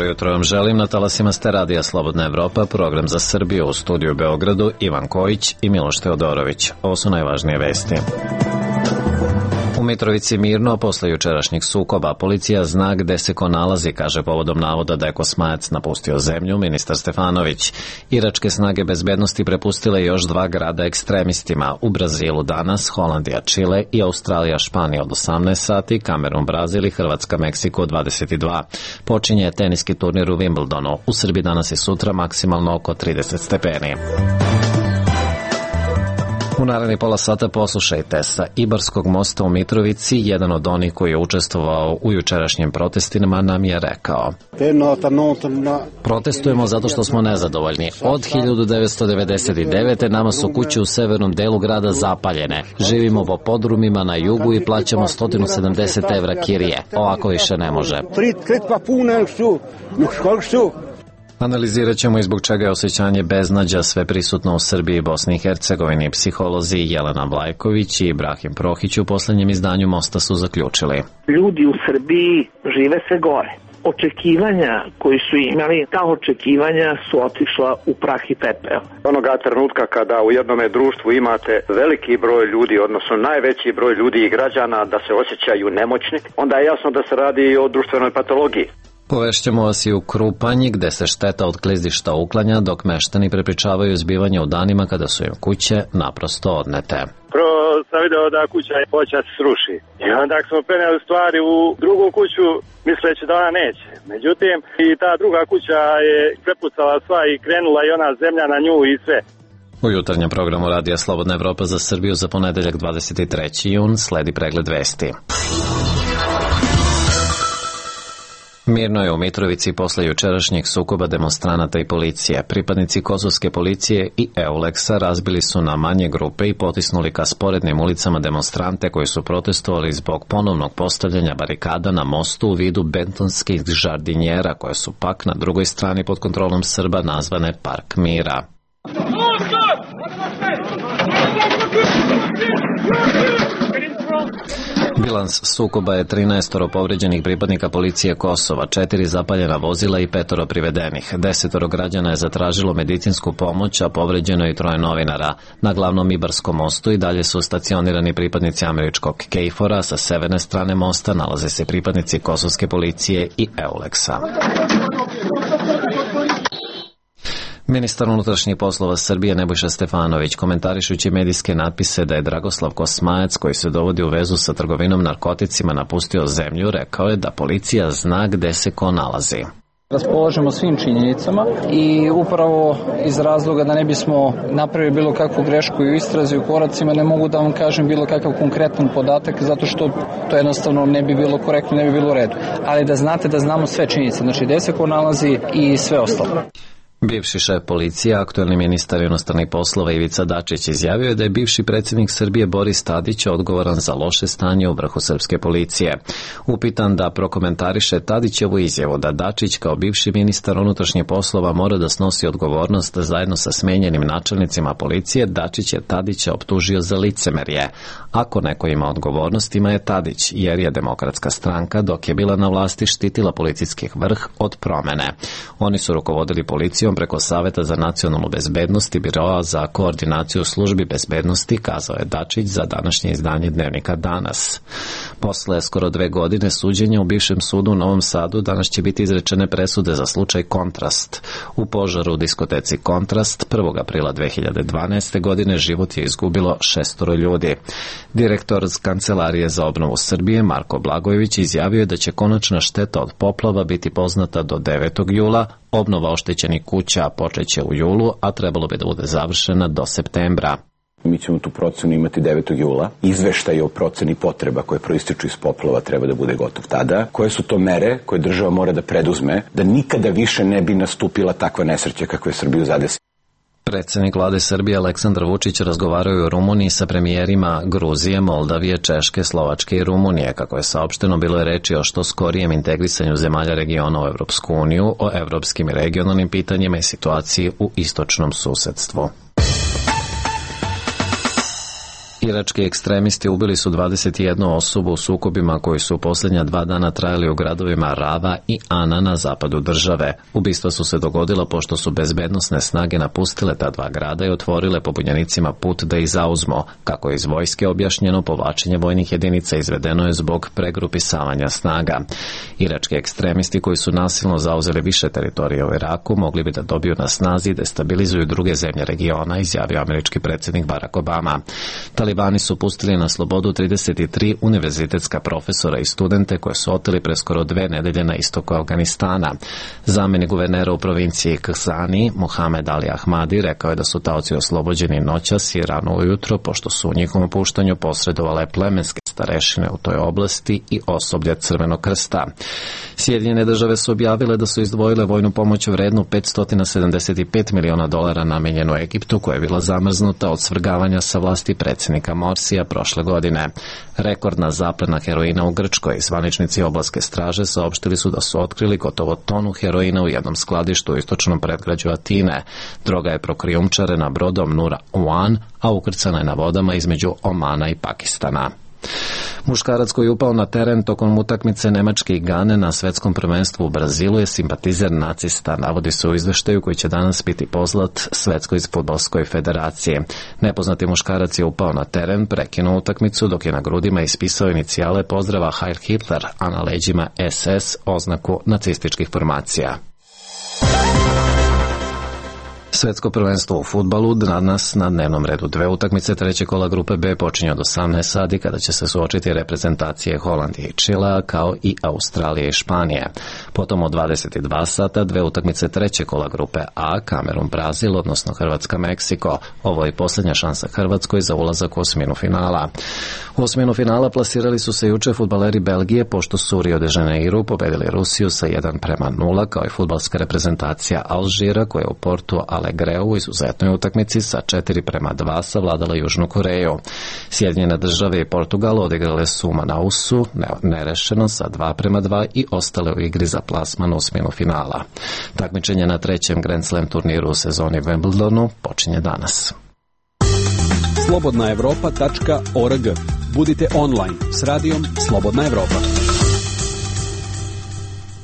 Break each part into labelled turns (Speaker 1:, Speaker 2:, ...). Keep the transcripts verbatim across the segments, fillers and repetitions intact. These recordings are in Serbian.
Speaker 1: Jutro vam želim, na talasima ste radija Slobodna Evropa, program za Srbiju, u studiju u Beogradu Ivan Kojić i Miloš Teodorović. Ovo su najvažnije vesti. U Mitrovici mirno posle jučerašnjih sukoba. Policija zna gde se ko nalazi, kaže povodom navoda da je Kosmajac napustio zemlju ministar Stefanović. Iračke snage bezbednosti prepustile još dva grada ekstremistima. U Brazilu danas, Holandija, Čile i Australija, Španija od osamnaest sati, Kamerun, Brazil i Hrvatska, Meksiko od dvadeset dva. Počinje teniski turnir u Wimbledonu. U Srbiji danas i sutra maksimalno oko trideset stepeni. U naredni pola sata poslušajte, sa Ibarskog mosta u Mitrovici, jedan od onih koji je učestvovao u jučerašnjim protestima nam je rekao: protestujemo zato što smo nezadovoljni. Od hiljadu devetsto devedeset devete. nama su kuće u severnom delu grada zapaljene. Živimo po podrumima na jugu i plaćamo sto sedamdeset evra kirije. Ovako više ne može. Analizirat ćemo i zbog čega je osjećanje beznađa sve prisutno u Srbiji i Bosni i Hercegovini. Psiholozi Jelena Vlajković i Ibrahim Prohić u poslednjem izdanju Mosta su zaključili:
Speaker 2: ljudi u Srbiji žive sve gore. Očekivanja koji su imali, ta očekivanja su otišla u prah i pepeo.
Speaker 3: Onoga trenutka kada u jednome društvu imate veliki broj ljudi, odnosno najveći broj ljudi i građana da se osjećaju nemoćni, onda je jasno da se radi o društvenoj patologiji.
Speaker 1: Povešćemo vas i u Krupanji, gde se šteta od klizišta uklanja, dok meštani prepričavaju zbivanje u danima kada su im kuće naprosto odnete.
Speaker 4: Prvo sam video da kuća hoće da se sruši. I onda smo preneli stvari u drugu kuću, misleći da ona neće. Međutim, i ta druga kuća je prepucala sva i krenula i ona zemlja na nju i sve.
Speaker 1: U jutarnjem programu radija Slobodna Evropa za Srbiju za ponedeljak dvadeset treći jun sledi pregled vesti. Mirno je u Mitrovici posle jučerašnjih sukoba demonstranata i policije. Pripadnici kosovske policije i Euleksa razbili su na manje grupe i potisnuli ka sporednim ulicama demonstrante koji su protestovali zbog ponovnog postavljanja barikada na mostu u vidu betonskih žardinjera koje su pak na drugoj strani pod kontrolom Srba nazvane Park mira. Bilans sukoba je trinaestoro povređenih pripadnika policije Kosova, četiri zapaljena vozila i petoro privedenih. Desetoro građana je zatražilo medicinsku pomoć, a povređeno i troje novinara. Na glavnom Ibarskom mostu i dalje su stacionirani pripadnici američkog Kejfora, sa severne strane mosta nalaze se pripadnici kosovske policije i Euleksa. Ministar unutrašnjih poslova Srbije Nebojša Stefanović, komentarišući medijske natpise da je Dragoslav Kosmajac, koji se dovodi u vezu sa trgovinom narkoticima, napustio zemlju, rekao je da policija zna gde se ko nalazi.
Speaker 5: Raspolažemo svim činjenicama i upravo iz razloga da ne bismo napravili bilo kakvu grešku i u istrazi u koracima, ne mogu da vam kažem bilo kakav konkretan podatak, zato što to jednostavno ne bi bilo korektno, ne bi bilo u redu. Ali da znate da znamo sve činjenice, znači gde se ko nalazi i sve ostalo.
Speaker 1: Bivši šef policije, aktuelni ministar inostranih poslova Ivica Dačić, izjavio je da je bivši predsjednik Srbije Boris Tadić odgovoran za loše stanje u vrhu srpske policije. Upitan da prokomentariše Tadićevu izjavu da Dačić kao bivši ministar unutrašnjih poslova mora da snosi odgovornost zajedno sa smenjenim načelnicima policije, Dačić je Tadića optužio za licemerje. Ako neko ima odgovornost, ima je Tadić, jer je Demokratska stranka dok je bila na vlasti štitila policijski vrh od promene. Oni su rukovodili policijom preko Saveta za nacionalnu bezbednost i Biroa za koordinaciju službi bezbednosti, kazao je Dačić za današnje izdanje dnevnika Danas. Posle skoro dve godine suđenja u bivšem sudu u Novom Sadu danas će biti izrečene presude za slučaj Kontrast. U požaru u diskoteci Kontrast prvog aprila dve hiljade dvanaeste. godine život je izgubilo šestoro ljudi. Direktor Kancelarije za obnovu Srbije Marko Blagojević izjavio je da će konačna šteta od poplava biti poznata do devetog jula, obnova oštećenih kuća počeće u julu, a trebalo bi da bude završena do septembra.
Speaker 6: Mi ćemo tu procenu imati devetog jula. Izveštaj o proceni potreba koje proističu iz poplava treba da bude gotov tada. Koje su to mere koje država mora da preduzme da nikada više ne bi nastupila takva nesreća kakva je Srbiju zadesila?
Speaker 1: Predsednik vlade Srbije Aleksandar Vučić razgovarao je u Rumuniji sa premijerima Gruzije, Moldavije, Češke, Slovačke i Rumunije. Kako je saopšteno, bilo je reči o što skorijem integrisanju zemalja regiona u Evropsku uniju, o evropskim i regionalnim pitanjima i situaciji u istočnom susedstvu. Irački ekstremisti ubili su dvadeset jednu osobu u sukobima koji su u posljednja dva dana trajali u gradovima Rava i Ana na zapadu države. Ubistva su se dogodila pošto su bezbednosne snage napustile ta dva grada i otvorile pobunjenicima put da ih zauzmu. Kako je iz vojske objašnjeno, povlačenje vojnih jedinica izvedeno je zbog pregrupisavanja snaga. Irački ekstremisti koji su nasilno zauzeli više teritorija u Iraku mogli bi da dobiju na snazi i destabilizuju druge zemlje regiona, izjavio američki predsjednik Barack Obama. Talibani su pustili na slobodu trideset tri univerzitetska profesora i studente koje su oteli pre skoro dve nedelje na istoku Afganistana. Zamenik guvernera u provinciji Khazani, Mohamed Ali Ahmadi, rekao je da su taoci oslobođeni noćas i rano ujutro, pošto su u njihovom puštanju posredovale plemenske starešine u toj oblasti i osoblje Crvenog krsta. Sjedinjene države su objavile da su izdvojile vojnu pomoć vrednu petsto sedamdeset pet miliona dolara namenjenu Egiptu, koja je bila zamrznuta od svrgavanja sa vlasti predsjednika Morsija prošle godine. Rekordna zaplena heroina u Grčkoj. Zvaničnici oblaske straže saopštili su da su otkrili gotovo tonu heroina u jednom skladištu u istočnom predgrađu Atine. Droga je prokrijumčarena brodom Nura One, a ukrcana je na vodama između Omana i Pakistana. Muškarac koji je upao na teren tokom utakmice Nemačke i Gane na svetskom prvenstvu u Brazilu je simpatizer nacista, navodi se u izveštaju koji će danas biti poslat Svetskoj fudbalskoj federaciji. Nepoznati muškarac je upao na teren, prekinuo utakmicu dok je na grudima ispisao inicijale pozdrava Heil Hitler, a na leđima es es oznaku nacističkih formacija. Svetsko prvenstvo u fudbalu danas na dnevnom redu dve utakmice treće kola grupe B počinje od osamnaest sati kada će se suočiti reprezentacije Holandije i Čilea kao i Australije i Španije. Potom od dvadeset dva sata dve utakmice treće kola grupe A, Kamerun Brazil, odnosno Hrvatska Meksiko. Ovo je posljednja šansa Hrvatskoj za ulazak u osminu finala. U osminu finala plasirali su se juče fudbaleri Belgije pošto su u Rio de Janeiru pobedili Rusiju sa jedan prema nula, kao i fudbalska reprezentacija Alžira koja je u Portu Alegreu u izuzetnoj utakmici sa četiri prema dva savladala Južnu Koreju. Sjedinjene države i Portugal odigrale su u Manausu nerešeno sa dva prema dva i ostale u igri za plasman osminu finala. Takmičenje na trećem Grand Slam turniru u sezoni Wimbledonu počinje danas.
Speaker 7: slobodna evropa tačka org. Budite online s radijom Slobodna Evropa.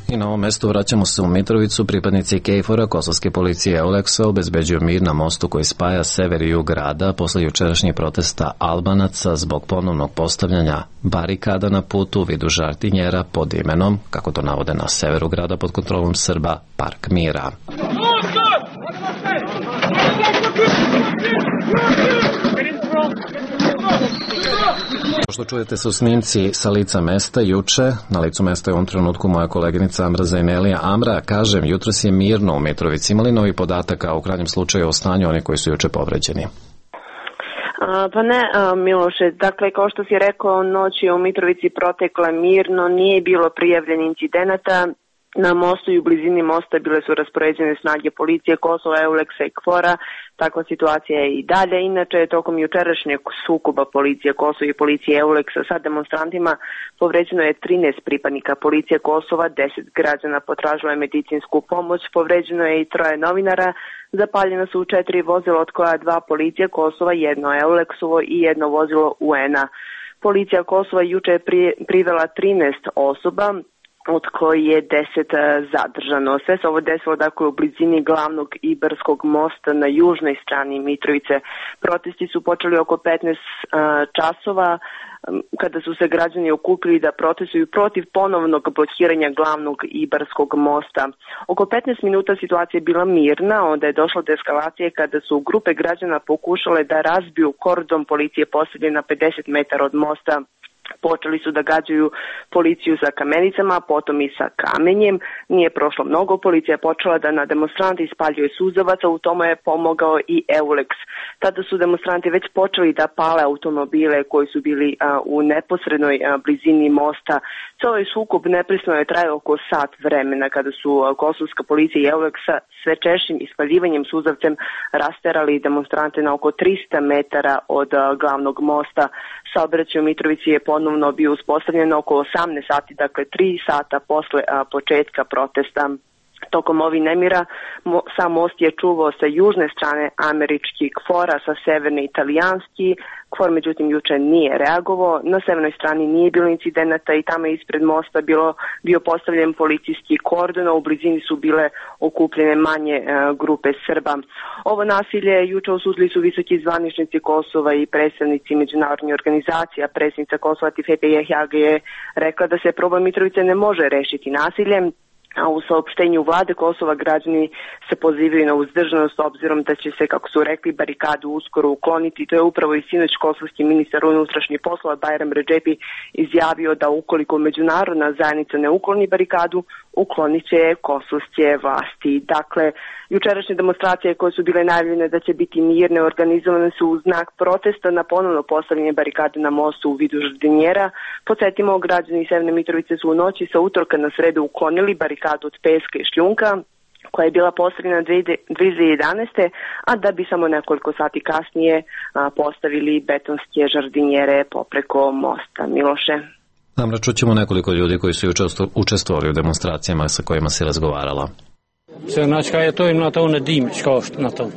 Speaker 1: I na ovom mestu vraćamo se u Mitrovicu. Pripadnici KFOR-a, kosovske policije Euleksa, obezbeđuju mir na mostu koji spaja sever i jug grada posle jučerašnjih protesta Albanaca zbog ponovnog postavljanja barikada na putu u vidu žartinjera pod imenom, kako to navode na severu grada pod kontrolom Srba, Park mira. Što čujete su snimci sa lica mesta juče. Na licu mesta je u ovom trenutku moja koleginica Amra Zajnelija. Amra, kažem, jutros je mirno u Mitrovici. Imali novi podataka u krajnjem slučaju o stanju oni koji su juče povređeni?
Speaker 8: A, pa ne, a, Miloše, dakle, kao što si rekao, noć je u Mitrovici protekla mirno, nije bilo prijavljenih incidenata. Na mostu i u blizini mosta bile su raspoređene snage policije Kosova, Euleksa i KFOR-a. Takva situacija je i dalje. Inače, tokom jučerašnjeg sukoba policije Kosova i policije Euleksa sa demonstrantima povređeno je trinaest pripadnika policije Kosova, deset građana potražilo je medicinsku pomoć, povređeno je i troje novinara, zapaljena su četiri vozila od koja dva policije Kosova, jedno Euleksovo i jedno vozilo U N-a. Policija Kosova juče je privela trinaest osoba, od koji je deset zadržano. Sve se ovo desilo dakle u blizini glavnog Ibarskog mosta na južnoj strani Mitrovice. Protesti su počeli oko petnaest časova kada su se građani okupili da protestuju protiv ponovnog blokiranja glavnog Ibarskog mosta. Oko petnaest minuta situacija je bila mirna, onda je došlo do eskalacije kada su grupe građana pokušale da razbiju kordon policije postavljen na pedeset metara od mosta. Počeli su da gađaju policiju sa kamenicama, potom i sa kamenjem. Nije prošlo mnogo, policija je počela da na demonstrante ispaljuje suzavaca, u tome je pomogao i Euleks. Tada su demonstranti već počeli da pale automobile koji su bili a, u neposrednoj a, blizini mosta. Ceo ovaj sukob neprestano je trajao oko sat vremena kada su a, kosovska policija i Euleksa sve češćim ispaljivanjem suzavcem rasterali demonstrante na oko trista metara od a, glavnog mosta. Saobraćaj u Mitrovici je ponovno bio uspostavljen oko osamnaest sati, dakle tri sata posle a, početka protesta. Tokom ovih nemira mo, sam most je čuvao sa južne strane američki KFOR, a sa severne italijanski. KFOR međutim juče nije reagovao, na severnoj strani nije bilo incidenata i tamo je ispred mosta bilo, bio postavljen policijski kordon, a u blizini su bile okupljene manje e, grupe Srba. Ovo nasilje juče osudili su visoki zvaničnici Kosova i predstavnici međunarodnih organizacija. Predsjednica Kosova Tifete Jehjage je rekla da se problem Mitrovice ne može rešiti nasiljem, a u saopštenju vlade Kosova građani se pozivaju na uzdržanost obzirom da će se, kako su rekli, barikadu uskoro ukloniti. To je upravo i sinoć kosovski ministar unutrašnjih poslova Bajram Redžepi izjavio da ukoliko međunarodna zajednica ne ukloni barikadu, uklonit će je kosovske vlasti. Dakle, jučerašnje demonstracije koje su bile najavljene da će biti mirne, organizovane su u znak protesta na ponovno postavljanje barikade na mostu u vidu žardinjera. Podsjetimo, građani Severne Mitrovice su u noći sa utorka na sredu uklonili barikadu od peska i šljunka koja je bila postavljena dve hiljade jedanaeste. a da bi samo nekoliko sati kasnije a, postavili betonske žardinjere popreko mosta. Miloše.
Speaker 1: Amra, čućemo nekoliko ljudi koji su učestvovali u demonstracijama sa kojima si razgovarala.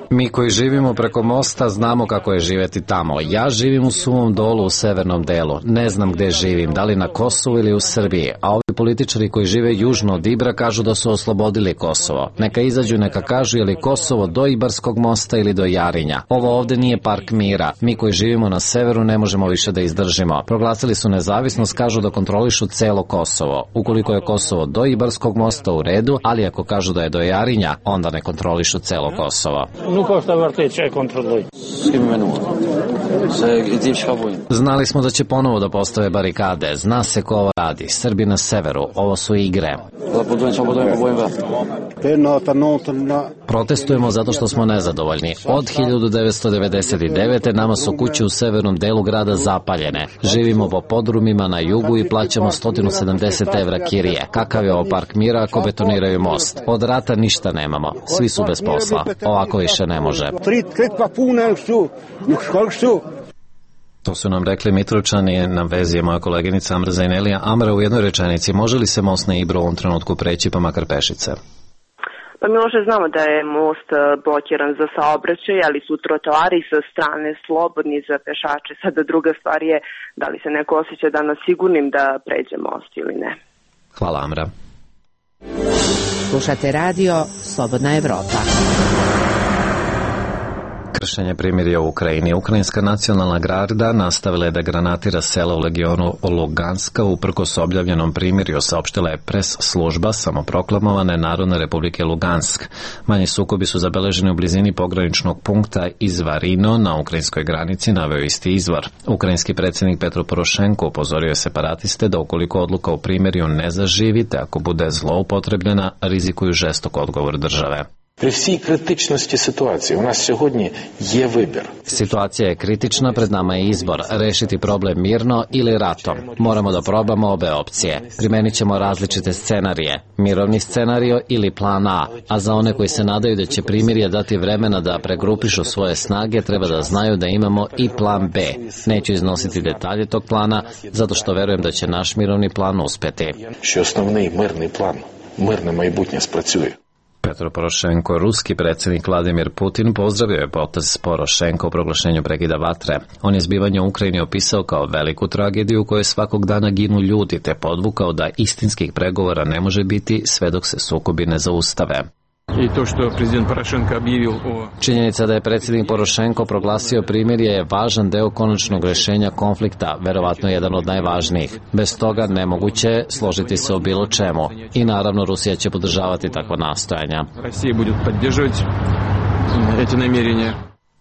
Speaker 1: Mi koji živimo preko mosta znamo kako je živeti tamo. Ja živim u Suvom Dolu u severnom delu. Ne znam gde živim, da li na Kosovu ili u Srbiji. A ovi političari koji žive južno od Ibra kažu da su oslobodili Kosovo. Neka izađu, neka kažu je li Kosovo do Ibarskog mosta ili do Jarinja. Ovo ovde nije park mira. Mi koji živimo na severu ne možemo više da izdržimo. Proglasili su nezavisnost, kažu da kontrolišu celo Kosovo. Ukoliko je Kosovo do Ibarskog mosta u redu, ali ako kažu da je do Jarinja, onda ne kontrolišu celo Kosovo. Znali smo da će ponovo da postave barikade. Zna se ko ovo radi. Srbi na severu. Ovo su igre. Protestujemo zato što smo nezadovoljni. Od hiljadu devetsto devedeset devete. nama su kuće u severnom delu grada zapaljene. Živimo po podrumima na jugu i plaćamo sto sedamdeset evra kirije. Kakav je ovo park mira ako betoniraju most? Od rata ništa nemamo. Svi su bez posla. Ovako više ne može. To su nam rekli Mitrovčani, na vezi je moja koleginica Amra Zajnelija. Amra, u jednoj rečenici, može li se most na Ibru u ovom trenutku preći pa makar pešice?
Speaker 8: Pa Miloše, znamo da je most blokiran za saobraćaj, ali su trotoari sa strane slobodni za pešače. Sada druga stvar je da li se neko osjeća danas sigurnim da pređe most ili ne.
Speaker 1: Hvala, Amra.
Speaker 9: Slušate radio Slobodna Evropa.
Speaker 1: Kršenje primirja u Ukrajini. Ukrajinska nacionalna garda nastavila je da granatira sela u regionu Luganska uprkos objavljenom primirju, saopštila je pres služba samoproklamovane Narodne republike Lugansk. Manji sukobi su zabeleženi u blizini pograničnog punkta Izvarino na ukrajinskoj granici, naveo isti izvor. Ukrajinski predsjednik Petro Porošenko upozorio je separatiste da ukoliko odluka o primirju ne zaživi, te ako bude zloupotrebljena, rizikuju žestok odgovor države.
Speaker 10: При всій критичності ситуації у нас сьогодні є вибір.
Speaker 1: Situacija je kritična, pred nama je izbor, rešiti problem mirno ili ratom. Moramo da probamo obe opcije. Primenit ćemo različite scenarije, mirovni scenario ili plan A, a za one koji se nadaju da će primirje dati vremena da pregrupišu svoje snage, treba da znaju da imamo i plan B. Neću iznositi detalje tog plana, zato što verujem da će naš mirovni plan uspeti.
Speaker 10: Що основний мирний план, мирне майбутнє спрацює.
Speaker 1: Petro Porošenko, ruski predsjednik Vladimir Putin, pozdravio je potez Porošenko u proglašenju prekida vatre. On je zbivanje u Ukrajini opisao kao veliku tragediju u kojoj svakog dana ginu ljudi, te podvukao da istinskih pregovora ne može biti sve dok se sukobi ne zaustave. Činjenica da je predsjednik Porošenko proglasio primirje je važan deo konačnog rešenja konflikta, verovatno jedan od najvažnijih. Bez toga nemoguće je složiti se o bilo čemu. I naravno Rusija će podržavati takva nastojanja.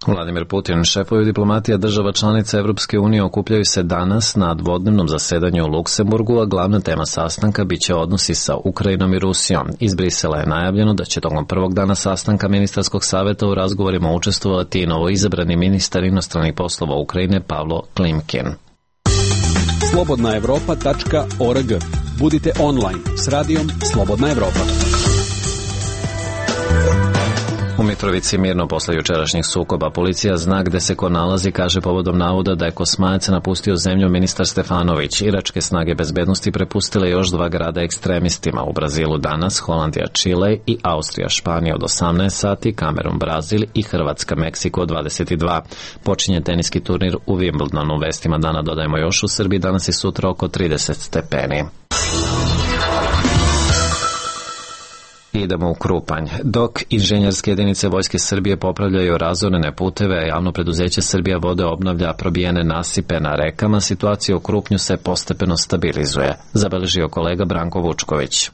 Speaker 1: Vladimir Putin, šefovi diplomatija država članica Evropske unije okupljaju se danas na dvodnevnom zasedanju u Luksemburgu, a glavna tema sastanka biće odnosi sa Ukrajinom i Rusijom. Iz Brisela je najavljeno da će tokom prvog dana sastanka ministarskog saveta u razgovorima učestvovati i novoizabrani ministar inostranih poslova Ukrajine Pavlo Klimkin.
Speaker 7: slobodna evropa tačka org. Budite online s radijom Slobodna Evropa.
Speaker 1: U Mitrovici mirno posle jučerašnjih sukoba. Policija zna gde se ko nalazi, kaže povodom navoda da je Kosmajac napustio zemlju ministar Stefanović. Iračke snage bezbednosti prepustile još dva grada ekstremistima. U Brazilu danas, Holandija Čile i Austrija Španija od osamnaest sati, Kamerun Brazil i Hrvatska Meksiko od dvadeset dva. Počinje teniski turnir u Wimbledonu. Vestima dana dodajemo još u Srbiji danas i sutra oko trideset stepeni. Idemo u Krupanj. Dok inženjerske jedinice Vojske Srbije popravljaju razorene puteve, a javno preduzeće Srbija vode obnavlja probijene nasipe na rekama, situacija u Krupnju se postepeno stabilizuje, zabeležio kolega Branko Vučković.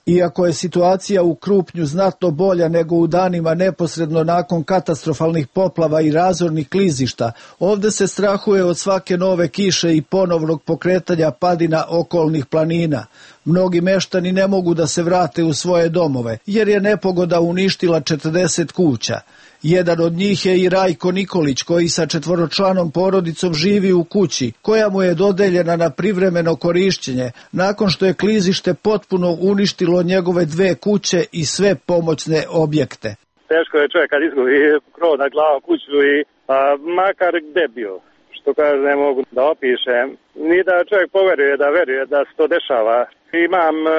Speaker 11: Iako je situacija u Krupnju znatno bolja nego u danima neposredno nakon katastrofalnih poplava i razornih klizišta, ovde se strahuje od svake nove kiše i ponovnog pokretanja padina okolnih planina. Mnogi meštani ne mogu da se vrate u svoje domove, jer je nepogoda uništila četrdeset kuća. Jedan od njih je i Rajko Nikolić, koji sa četvoročlanom porodicom živi u kući, koja mu je dodeljena na privremeno korišćenje, nakon što je klizište potpuno uništilo njegove dve kuće i sve pomoćne objekte.
Speaker 4: Teško je čovjek kad izgubi krov nad glavom kuću i a, makar gde bio, što kaže ne mogu da opišem, ni da čovjek poveruje, da veruje da se to dešava. Imam uh,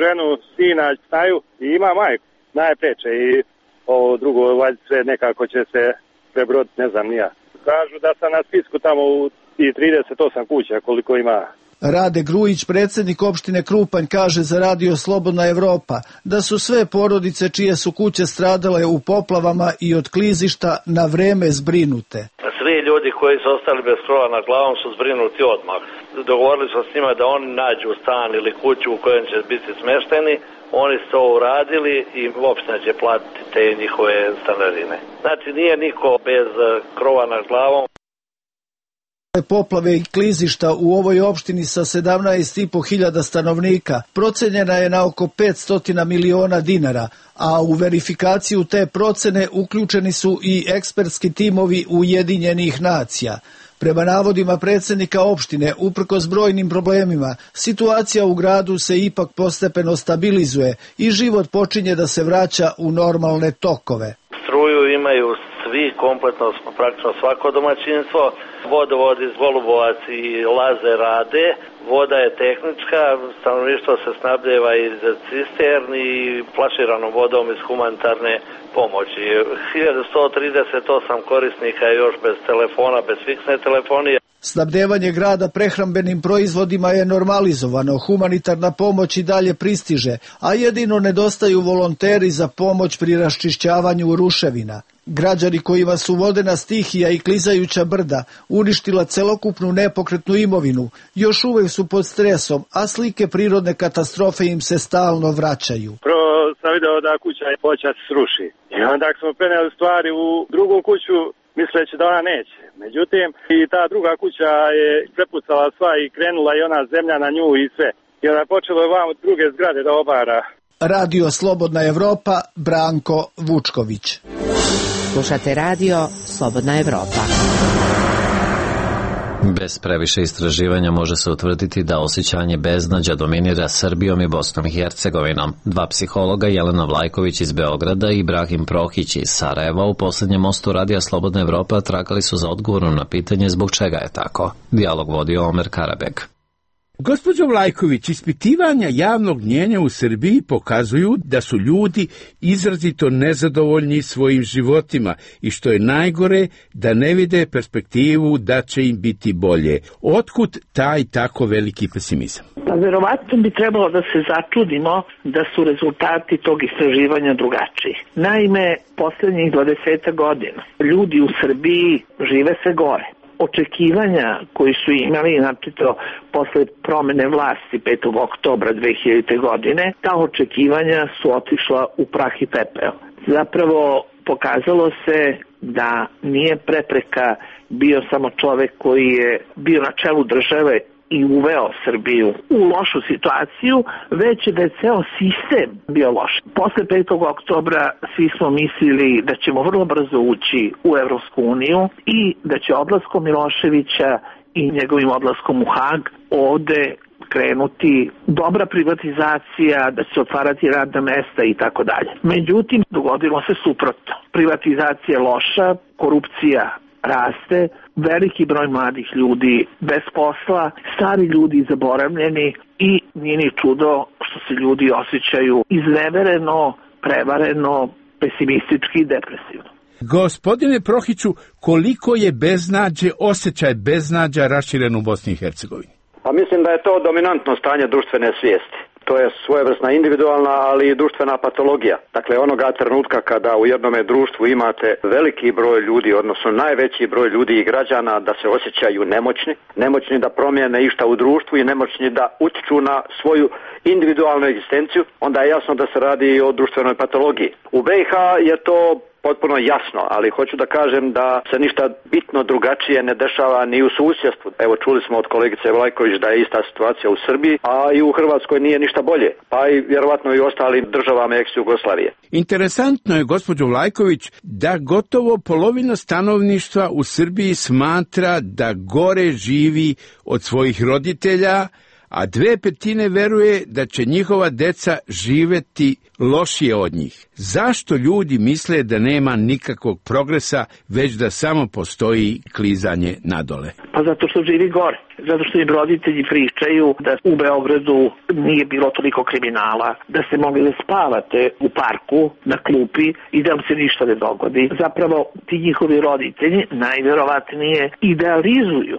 Speaker 4: ženu, sina, znaju i ima majku, najpreče i ovo drugo, valjda sve nekako će se prebroditi, ne znam nija. Kažu da sam na spisku tamo u trideset osam kuća koliko ima.
Speaker 11: Rade Grujić, predsjednik opštine Krupanj, kaže za radio Slobodna Evropa da su sve porodice čije su kuće stradale u poplavama i od klizišta na vreme zbrinute.
Speaker 12: Svi ljudi koji su ostali bez krova nad glavom su zbrinuti odmah. Dogovorili smo s njima da oni nađu stan ili kuću u kojem će biti smešteni. Oni su to uradili i opština će platiti te njihove stanarine. Znači nije niko bez krova nad glavom.
Speaker 11: Poplave i klizišta u ovoj opštini sa sedamnaest i po hiljada stanovnika procenjena je na oko petsto miliona dinara, a u verifikaciju te procene uključeni su i ekspertski timovi Ujedinjenih nacija. Prema navodima predsjednika opštine, uprkos brojnim problemima, situacija u gradu se ipak postepeno stabilizuje i život počinje da se vraća u normalne tokove.
Speaker 12: Struju imaju svi, kompletno praktično svako domaćinstvo, vodovod iz Golubovac i Laze rade, voda je tehnička, stanovništvo se snabdeva iz cisterni i flaširanom vodom iz humanitarne pomoći. hiljadu sto trideset osam korisnika je još bez telefona, bez fiksne telefonije.
Speaker 11: Snabdevanje grada prehrambenim proizvodima je normalizovano, humanitarna pomoć i dalje pristiže, a jedino nedostaju volonteri za pomoć pri raščišćavanju ruševina. Građani kojima su vodena stihija i klizajuća brda uništila celokupnu nepokretnu imovinu, još uvek su pod stresom, a slike prirodne katastrofe im se stalno vraćaju.
Speaker 4: Prvo sam video da kuća je počela se sruši. I onda smo preneli stvari u drugu kuću, misleći da ona neće. Međutim, i ta druga kuća je prepucala sva i krenula i ona zemlja na nju i sve. I onda je počelo vam od druge zgrade da obara.
Speaker 11: Radio Slobodna Evropa, Branko Vučković.
Speaker 9: Slušate radio Slobodna Evropa.
Speaker 1: Bez previše istraživanja može se utvrditi da osjećanje beznađa dominira Srbijom i Bosnom i Hercegovinom. Dva psihologa, Jelena Vlajković iz Beograda i Ibrahim Prohić iz Sarajeva, u posljednjem mostu radija Slobodna Evropa tragali su za odgovorom na pitanje zbog čega je tako. Dijalog vodio Omer Karabeg.
Speaker 13: Gospođo Vlajković, ispitivanja javnog mnjenja u Srbiji pokazuju da su ljudi izrazito nezadovoljni svojim životima i što je najgore, da ne vide perspektivu da će im biti bolje. Otkud taj tako veliki pesimizam?
Speaker 2: Pa verovatno bi trebalo da se začudimo da su rezultati tog istraživanja drugačiji. Naime, posljednjih dvadeset godina ljudi u Srbiji žive sve gore. Očekivanja koji su imali, naprosto posle promene vlasti petog oktobra dve hiljadite. godine, ta očekivanja su otišla u prah i pepeo. Zapravo pokazalo se da nije prepreka bio samo čovek koji je bio na čelu države i uveo Srbiju u lošu situaciju, već da je ceo sistem bio loš. Posle petog oktobra svi smo mislili da ćemo vrlo brzo ući u Evropsku uniju i da će odlaskom Miloševića i njegovim odlaskom u Hag ovde krenuti dobra privatizacija, da će se otvarati radna mesta i tako dalje. Međutim, dogodilo se suprotno. Privatizacija je loša, korupcija raste, veliki broj mladih ljudi bez posla, stari ljudi zaboravljeni i nije ni čudo što se ljudi osjećaju iznevereno, prevareno, pesimistički i depresivno.
Speaker 13: Gospodine Prohiću, koliko je beznađe, osjećaj beznađa raširen u Bosni i Hercegovini?
Speaker 3: Pa mislim da je to dominantno stanje društvene svijesti. To je svojevrsna individualna, ali i društvena patologija. Dakle, onoga trenutka kada u jednome društvu imate veliki broj ljudi, odnosno najveći broj ljudi i građana da se osjećaju nemoćni, nemoćni da promijene išta u društvu i nemoćni da utiču na svoju individualnu egzistenciju, onda je jasno da se radi o društvenoj patologiji. U B i H je to potpuno jasno, ali hoću da kažem da se ništa bitno drugačije ne dešava ni u susjedstvu. Evo, čuli smo od kolegice Vlajković da je ista situacija u Srbiji, a i u Hrvatskoj nije ništa bolje, pa i vjerovatno i u ostalim državama ex-Jugoslavije.
Speaker 13: Interesantno je, gospođo Vlajković, da gotovo polovina stanovništva u Srbiji smatra da gore živi od svojih roditelja, a dve petine veruje da će njihova deca živeti lošije od njih. Zašto ljudi misle da nema nikakvog progresa, već da samo postoji klizanje nadole?
Speaker 2: Pa zato što živi gore. Zato što im roditelji pričaju da u Beogradu nije bilo toliko kriminala, da ste mogli da spavate u parku, na klupi i da vam se ništa ne dogodi. Zapravo ti njihovi roditelji najvjerovatnije idealizuju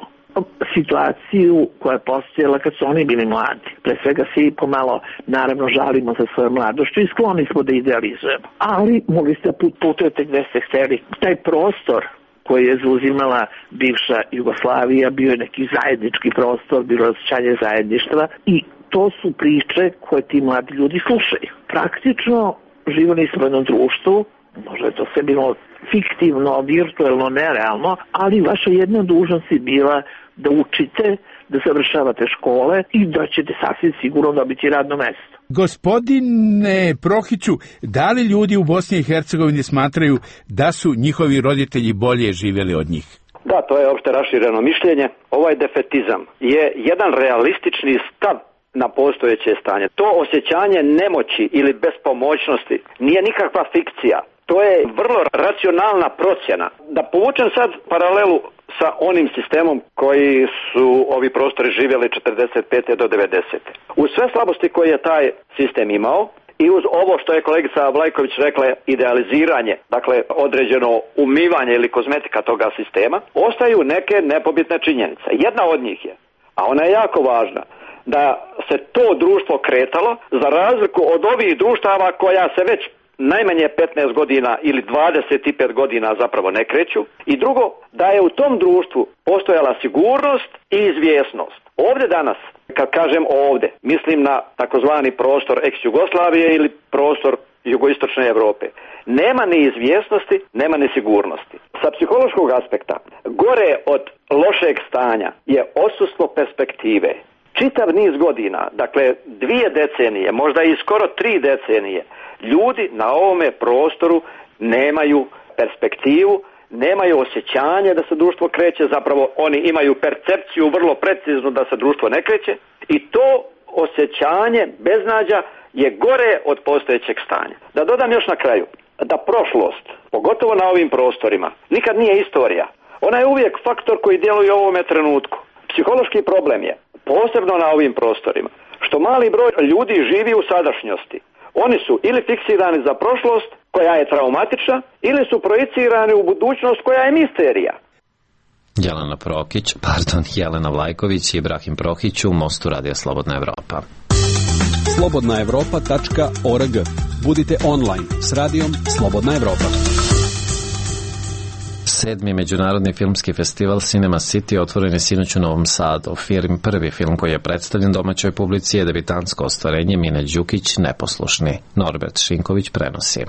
Speaker 2: situaciju koja je postojala kad su oni bili mladi. Pre svega svi pomalo naravno žalimo za svoju mladošću i skloni smo da idealizujemo. Ali mogli ste put putujete gde ste hteli. Taj prostor koji je zauzimala bivša Jugoslavija bio je neki zajednički prostor, bilo je osjećanje zajedništva i to su priče koje ti mladi ljudi slušaju. Praktično živeli smo u jednom društvu, možda je to sve bilo fiktivno, virtuelno, nerealno, ali vaša jedna dužnost je bila da učite, da završavate škole i da ćete sasvim sigurno dobiti radno mesto.
Speaker 13: Gospodine Prohiću, da li ljudi u Bosni i Hercegovini smatraju da su njihovi roditelji bolje živjeli od njih?
Speaker 3: Da, to je opšte rašireno mišljenje. Ovaj defetizam je jedan realistični stav na postojeće stanje. To osjećanje nemoći ili bespomoćnosti nije nikakva fikcija. To je vrlo racionalna procjena. Da povučem sad paralelu sa onim sistemom koji su ovi prostori živjeli četrdeset pete do devedesete. Uz sve slabosti koje je taj sistem imao i uz ovo što je kolegica Vlajković rekla, idealiziranje, dakle određeno umivanje ili kozmetika toga sistema, ostaju neke nepobitne činjenice. Jedna od njih je, a ona je jako važna, da se to društvo kretalo za razliku od ovih društava koja se već najmanje petnaest godina ili dvadeset pet godina zapravo ne kreću. I drugo, da je u tom društvu postojala sigurnost i izvjesnost. Ovdje danas, kad kažem ovdje, mislim na takozvani prostor ex-Jugoslavije ili prostor jugoistočne Europe. Nema ni izvjesnosti, nema ni sigurnosti. Sa psihološkog aspekta, gore od lošeg stanja je odsustvo perspektive. Čitav niz godina, dakle dvije decenije, možda i skoro tri decenije, ljudi na ovome prostoru nemaju perspektivu, nemaju osjećanje da se društvo kreće, zapravo oni imaju percepciju vrlo preciznu da se društvo ne kreće i to osjećanje beznađa je gore od postojećeg stanja. Da dodam još na kraju, da prošlost, pogotovo na ovim prostorima, nikad nije istorija. Ona je uvijek faktor koji djeluje u ovome trenutku. Psihološki problem je, posebno na ovim prostorima, što mali broj ljudi živi u sadašnjosti. Oni su ili fiksirani za prošlost koja je traumatična ili su projicirani u budućnost koja je misterija.
Speaker 1: Jelena Prokić, pardon, Jelena Vlajković i Ibrahim Prohić u Mostu radija Slobodna Evropa.
Speaker 7: slobodna evropa tačka org. Budite online s radijom Slobodna Evropa.
Speaker 1: Sedmi međunarodni filmski festival Cinema City otvoren je sinoć u Novom Sadu. Film, prvi film koji je predstavljen domaćoj publici je debitansko ostvarenje Mine Đukić, Neposlušni. Norbert Šinković prenosi.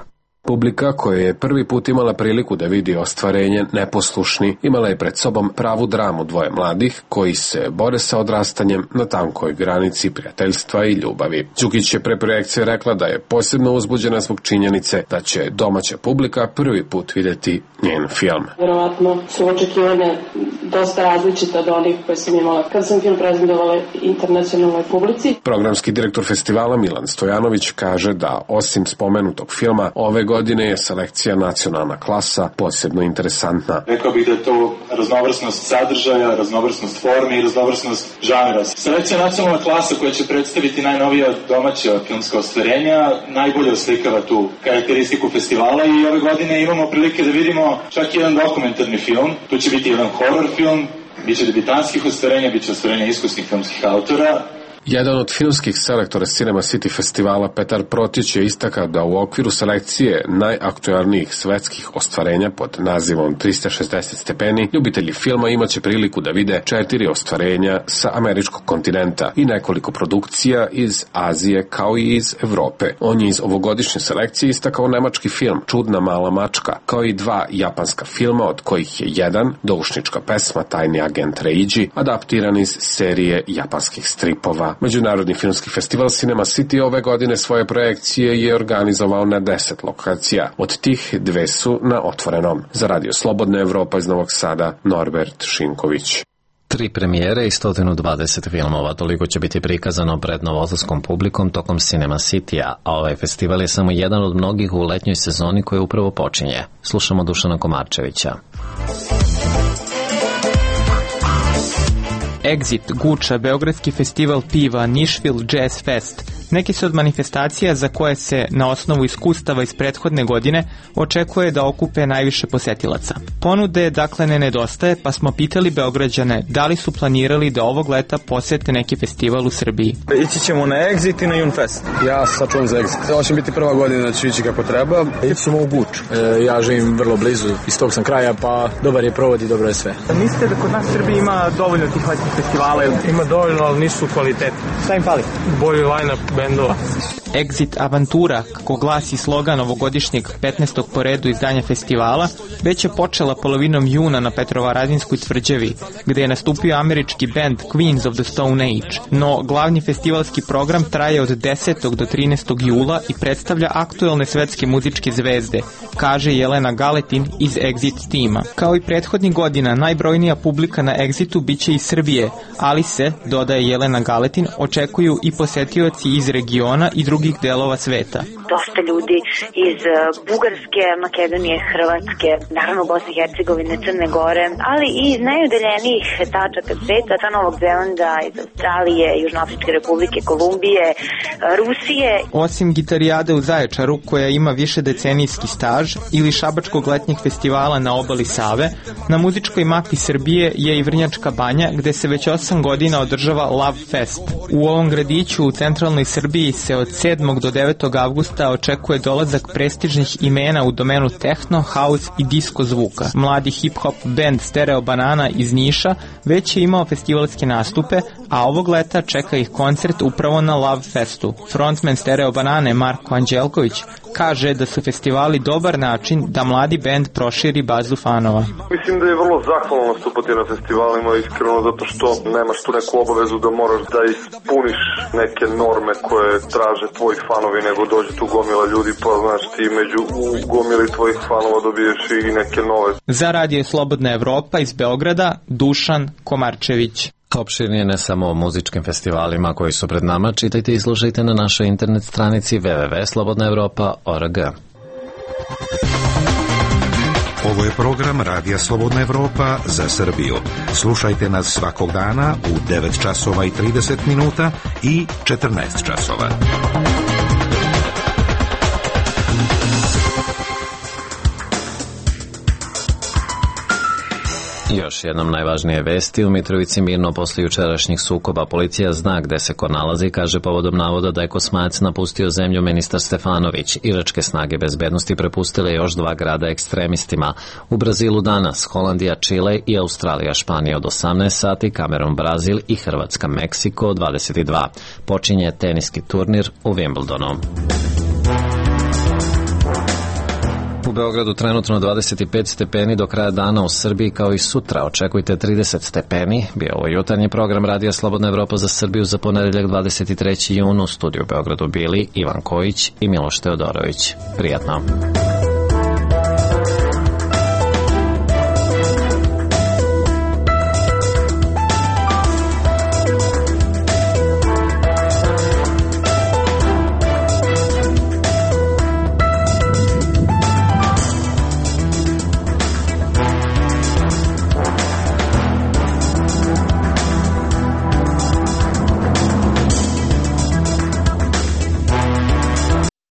Speaker 14: Publika koja je prvi put imala priliku da vidi ostvarenje Neposlušni imala je pred sobom pravu dramu dvoje mladih koji se bore sa odrastanjem na tankoj granici prijateljstva i ljubavi. Đukić je pre projekcije rekla da je posebno uzbuđena zbog činjenice da će domaća publika prvi put videti njen film.
Speaker 15: Verovatno su očekivanja dosta različita od onih koje sam imala kad sam film prezentovala internacionalnoj publici.
Speaker 14: Programski direktor festivala Milan Stojanović kaže da osim spomenutog filma, ove godine je selekcija Nacionalna klasa posebno interesantna.
Speaker 16: Rekao bih da je to raznovrsnost sadržaja, raznovrsnost forme i raznovrsnost žanra. Selekcija Nacionalna klasa koja će predstaviti najnovija domaća filmska ostvarenja najbolje oslikava tu karakteristiku festivala i ove godine imamo prilike da vidimo čak jedan dokumentarni film. Tu će biti jedan horor film, biće debitanskih ostvarenja, biće ostvarenja iskusnih filmskih autora.
Speaker 14: Jedan od filmskih selektora Cinema City festivala, Petar Protić, je istakao da u okviru selekcije najaktualnijih svetskih ostvarenja pod nazivom trista šezdeset stepeni, ljubitelji filma imaće priliku da vide četiri ostvarenja sa američkog kontinenta i nekoliko produkcija iz Azije kao i iz Evrope. On je iz ovogodišnje selekcije istakao nemački film Čudna mala mačka, kao i dva japanska filma, od kojih je jedan, doušnička pesma Tajni agent Reiji, adaptiran iz serije japanskih stripova. Međunarodni filmski festival Cinema City ove godine svoje projekcije je organizovao na deset lokacija. Od tih dve su na otvorenom. Za Radio Slobodna Evropa iz Novog Sada, Norbert Šinković.
Speaker 1: Tri premijere i sto dvadeset filmova, toliko će biti prikazano pred novosadskom publikom tokom Cinema City-a, a ovaj festival je samo jedan od mnogih u letnjoj sezoni koja upravo počinje. Slušamo Dušana Komarčevića.
Speaker 17: Exit, Guča, Beogradski festival piva, Nišvil Jazz Fest. Neki su od manifestacija za koje se, na osnovu iskustava iz prethodne godine, očekuje da okupe najviše posetilaca. Ponude dakle ne nedostaje, pa smo pitali Beograđane da li su planirali da ovog leta posete neki festival u Srbiji.
Speaker 18: Ići ćemo na Exit i na Junfest. Ja sačuvam za Exit. Ovo će biti prva godina da ću ići kako treba. Ići ćemo u Guču. E, ja živim vrlo blizu, iz tog sam kraja, pa dobar je provod i dobro je sve.
Speaker 17: Mislite da kod nas u Srbiji ima dovoljno tih letnjih festivala?
Speaker 18: Ima dovoljno, ali nisu kvalitetni.
Speaker 17: Šta im fali?
Speaker 18: Bolji line-up bendova.
Speaker 17: Exit Avantura, kako glasi slogan ovogodišnjeg petnaestog po redu izdanja festivala, već je počela polovinom juna na Petrovaradinskoj tvrđavi, gde je nastupio američki band Queens of the Stone Age. No, glavni festivalski program traje od desetog do trinaestog jula i predstavlja aktuelne svetske muzičke zvezde, kaže Jelena Galetin iz Exit tima. Kao i prethodnih godina, najbrojnija publika na Exitu biće iz Srbije, ali se, dodaje Jelena Galetin, očekuju i posetioci iz regiona i drugih delova sveta.
Speaker 19: Dosta ljudi iz Bugarske, Makedonije, Hrvatske, naravno Bosne i Hercegovine, Crne Gore, ali i iz najudaljenijih tačaka sveta, sa Novog Zelanda, iz Australije, Južnoafričke Republike, Kolumbije, Rusije.
Speaker 17: Osim Gitarijade u Zaječaru, koja ima više decenijski staž, ili Šabačkog letnjeg festivala na obali Save, na muzičkoj mapi Srbije je i Vrnjačka Banja, gde se već osam godina održava Love Fest. U ovom gradiću u centralnoj Srbiji se od sedmog do devetog avgusta očekuje dolazak prestižnih imena u domenu techno, house i disco zvuka. Mladi hip-hop band Stereo Banana iz Niša već je imao festivalske nastupe, a ovog leta čeka ih koncert upravo na Love Festu. Frontman Stereo Banane Marko Anđelković kaže da su festivali dobar način da mladi bend proširi bazu fanova.
Speaker 20: Mislim da je vrlo zahvalno nastupati na festivalima, iskreno, zato što nemaš tu neku obavezu da moraš da ispuniš neke norme koje traže tvoji fanovi, nego dođe tu gomila ljudi, pa znaš ti među u gomili tvojih fanova dobiješ i neke nove.
Speaker 17: Za Radio Slobodna Evropa iz Beograda, Dušan Komarčević.
Speaker 1: Opširnije ne samo o muzičkim festivalima koji su pred nama, čitajte i slušajte na našoj internet stranici w w w tačka slobodna evropa tačka org.
Speaker 21: Ovo je program Radija Slobodna Evropa za Srbiju. Slušajte nas svakog dana u devet časova i trideset minuta i četrnaest časova.
Speaker 1: Još jednom najvažnije vesti. U Mitrovici mirno posle jučerašnjih sukoba. Policija zna gde se ko nalazi, kaže povodom navoda da je Kosmajac napustio zemlju ministar Stefanović. Iračke snage bezbednosti prepustile još dva grada ekstremistima. U Brazilu danas Holandija, Čile i Australija, Španija od osamnaest sati, Kamerun, Brazil i Hrvatska, Meksiko od dvadeset dva. Počinje teniski turnir u Wimbledonu. U Beogradu trenutno dvadeset pet stepeni, do kraja dana u Srbiji kao i sutra očekujte trideset stepeni. Bio ovo jutarnji program Radija Slobodna Evropa za Srbiju za ponedeljak dvadeset treći jun. U studiju u Beogradu bili Ivan Kojić i Miloš Teodorović. Prijatno.